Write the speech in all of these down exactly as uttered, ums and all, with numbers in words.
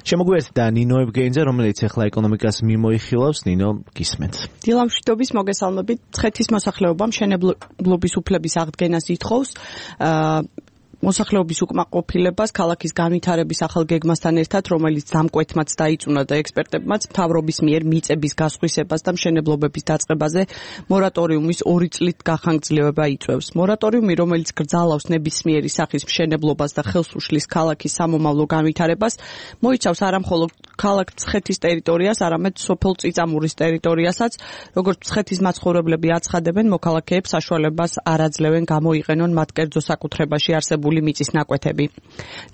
შემოგვიერთდა ნინო ევგენიძე, რომელიც ახლა ეკონომიკას მიმოიხილავს. ნინო, გისმენთ. დილამშვიდობის მოგესალმებით. მცხეთის მოსახლეობა მშენებლობის უფლების აღდგენას ითხოვს. მოსახლეობის უკმაყოფილებას ქალაქის განვითარების ახალ გეგმასთან ერთად, რომელიც დამკვეთმაც დაიწუნა და ექსპერტებმაც მთავრობის მიერ მიწების გასხვისებას და მშენებლობების დაწყებაზე მორატორიუმის ორი წლით გახანგრძლივება იწვევს. მორატორიუმი, რომელიც გრძალავს ნებისმიერი სახის მშენებლობას და ხელს უშლის ქალაქის სამომავლო განვითარებას, მოიცავს არა მხოლოდ ქალაქ მცხეთის ტერიტორიას, არამედ სოფელ წიწამურის ტერიტორიასაც, როგორც მცხეთის მაცხოვრებლები აცხადებენ, მოქალაქეებს საშუალებას არ აძლევენ გამოიყენონ მათ კერძო საკუთრებაში არსებული მიწის ნაკვეთები.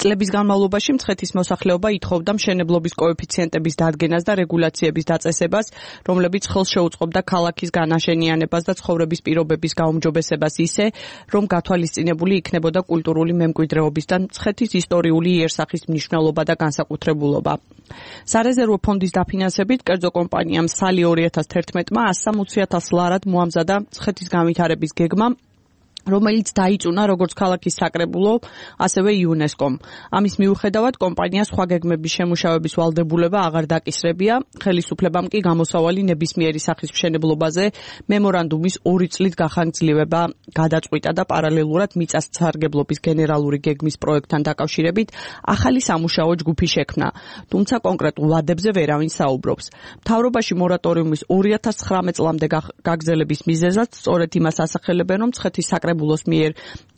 წლების განმავლობაში მცხეთის მოსახლეობა ითხოვდა მშენებლობის კოეფიციენტების დადგენას და რეგულაციების დაწესებას, რომლებიც ხელს შეუწყობდა ქალაქის განაშენიანებას და ცხოვრების პირობების გაუმჯობესებას ისე, რომ გათვალისწინებული იქნებოდა კულტურული მემკვიდრეობის და მცხეთის ისტორიული იერსახის მნიშვნელობა და განსაკუთრებულობა. სარეზერვო ფონდის დაფინანსებით კერძო კომპანიამ სალი ორი ათას თერთმეტმა ასი ათას ლარად მოამზადა მცხეთის განვითარების გეგმა, რომელიც დაიწუნა როგორც ქალაქის საკრებულო, ასევე იუნესკომ. ამის მიუხედავად კომპანია სხვა გეგმების შემუშავების ვალდებულება აღარ დაკისრებია, ხელისუფლებამ კი გამოსავალი ნებისმიერი სახის მშენებლობაზე მემორანდუმის ორი წლით გახანგრძლივება გადაწყვიტა და პარალელურად მიწათსარგებლობის გენერალური გეგმის პროექტთან დაკავშირებით ახალი სამუშაო ჯგუფი შექმნა, თუმცა კონკრეტულ ვადებზე ვერავინ საუბრობს. მთავრობაში მორატორიუმის ორი ათას ცხრამეტ წლამდე გაგრძელების მიზეზად სწორედ იმას ასახელებენ, რომ მცხეთის საკრებულოს მიერ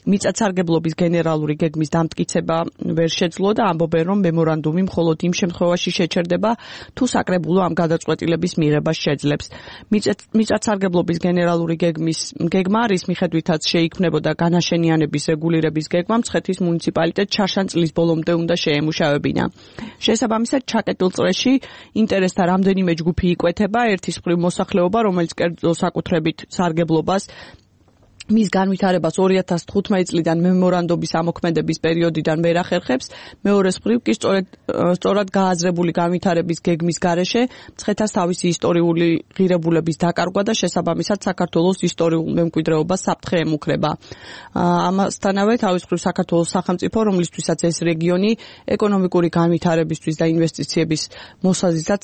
მიწათსარგებლობის გენერალური გეგმის დამტკიცება ვერ შეძლო და ამბობენ, რომ მემორანდუმი მხოლოდ იმ შემთხვევაში შეჩერდება, თუ საკრებულო ამ გადაწყვეტილების მიღებას შეძლებს. მიწათსარგებლობის გენერალური გეგმის გეგმა, რის მიხედვითაც შეიქმნებოდა განაშენიანების რეგულირების გეგმა, მცხეთის მუნიციპალიტეტს შარშან წლის ბოლომდე უნდა შეემუშავებინა. შესაბამისად, ჩაკეტილ წრეში ინტერესთა რამდენიმე ჯგუფი იკვეთება, ერთის მხრივ მოსახლეობა, რომელიც კერძო საკუთრებით სარგებლობას მის განვითარებას ორი ათას თხუთმეტი წლიდან მემორანდუმის ამოქმედების პერიოდიდან ვერ ახერხებს, მეორეს მხრივ კი სწორედ სწორად გააზრებული განვითარების გეგმის გარეშე მცხეთას თავისი ისტორიული ღირებულების დაკარგვა და შესაბამისად საქართველოს ისტორიულ მემკვიდრეობას საფრთხე ემუქრება. ამასთანავე თავის მხრივ საქართველოს სახელმწიფო, რომლისთვისაც ეს რეგიონი ეკონომიკური განვითარებისთვის და ინვესტიციების მოსაზიდად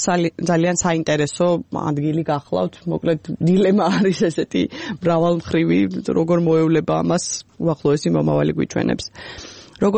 ძალიან საინტერესო ადგილი გახლავთ. მოკლედ დილემა არის ესეთი მრავალმხრივი, როგორ მოევლება ამას უახლოესი მომავალი გვიჩვენებს. როგორც